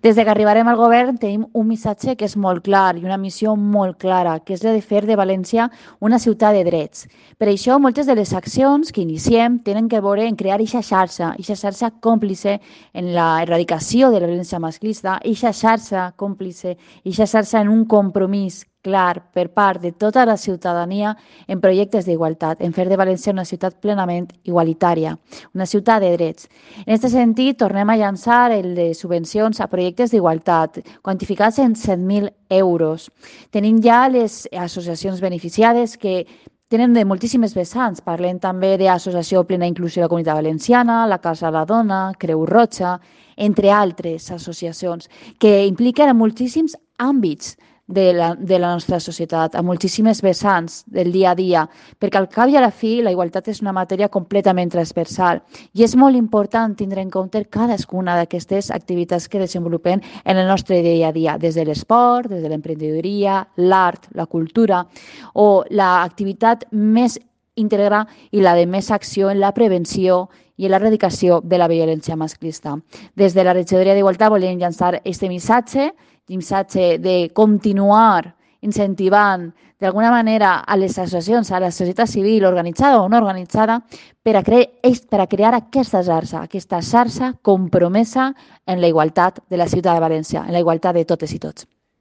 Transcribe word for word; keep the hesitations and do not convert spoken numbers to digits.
Des de que arribarem al govern tenim un missatge que és molt clar i una missió molt clara, que és la de fer de València una ciutat de drets. Per això, moltes de les accions que iniciem tenen que veure en crear aquesta xarxa, aquesta xarxa còmplice en la erradicació de la violència masclista, aquesta xarxa còmplice, aquesta xarxa en un compromís clar per part de tota la ciutadania en projectes d'igualtat, en fer de València una ciutat plenament igualitària, una ciutat de drets. En aquest sentit, tornem a llançar el de subvencions a projectes d'igualtat, quantificats en set mil euros. Tenim ja les associacions beneficiades que tenen de moltíssimes vessants. Parlem també d'Associació Plena Inclusió de la Comunitat Valenciana, la Casa de la Dona, Creu Roja, entre altres associacions, que impliquen a moltíssims àmbits de la, de la nostra societat, a moltíssimes vessants del dia a dia, perquè al cap i a la fi la igualtat és una matèria completament transversal i és molt important tindre en compte cadascuna d'aquestes activitats que desenvolupem en el nostre dia a dia, des de l'esport, des de l'emprenedoria, l'art, la cultura o l'activitat més íntegra i la de més acció en la prevenció i en l'erradicació de la violència masclista. Des de la Regidoria d'Igualtat volem llançar aquest missatge missatge de continuar incentivant d'alguna manera a les associacions, a la societat civil organitzada o no organitzada, per a, cre per a crear aquesta xarxa, aquesta xarxa compromesa en la igualtat de la ciutat de València, en la igualtat de totes i tots.